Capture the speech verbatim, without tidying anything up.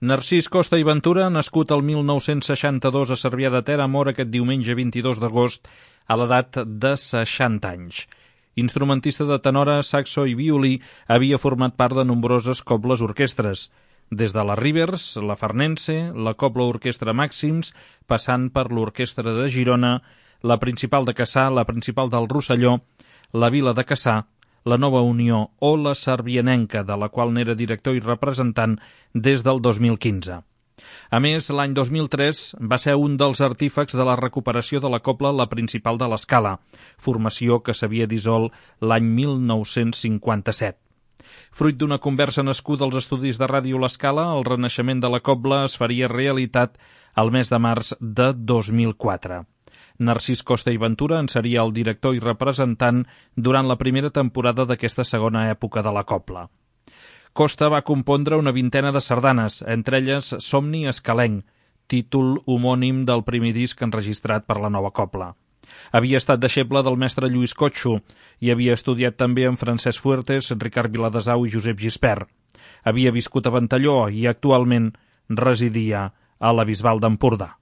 Narcís Costa i Ventura, nascut el mil nou-cents seixanta-dos a Cervià de Ter, mor aquest diumenge vint-i-dos d'agost a l'edat de seixanta anys. Instrumentista de tenora, saxo i violí, havia format part de nombroses cobles orquestres, des de la Rivers, la Farnense, la Cobla Orquestra Màxims, passant per l'Orquestra de Girona, la Principal de Cassà, la Principal del Rosselló, la Vila de Cassà, la Nova Unió o la Cervianenca, de la qual n'era director i representant des del dos mil quinze. A més, l'any dos mil tres va ser un dels artífecs de la recuperació de la cobla La Principal de l'Escala, formació que s'havia dissolt l'any mil nou-cents cinquanta-set. Fruit d'una conversa nascuda als estudis de Ràdio L'Escala, el renaixement de la cobla es faria realitat el mes de març de dos mil quatre. Narcís Costa i Ventura en seria el director i representant durant la primera temporada d'aquesta segona època de la cobla. Costa va compondre una vintena de sardanes, entre elles Somni Escalenc, títol homònim del primer disc enregistrat per la nova cobla. Havia estat deixeble del mestre Lluís Cotxo i havia estudiat també amb Francesc Fuertes, Ricard Viladesau i Josep Gispert. Havia viscut a Ventalló i actualment residia a la Bisbal d'Empordà.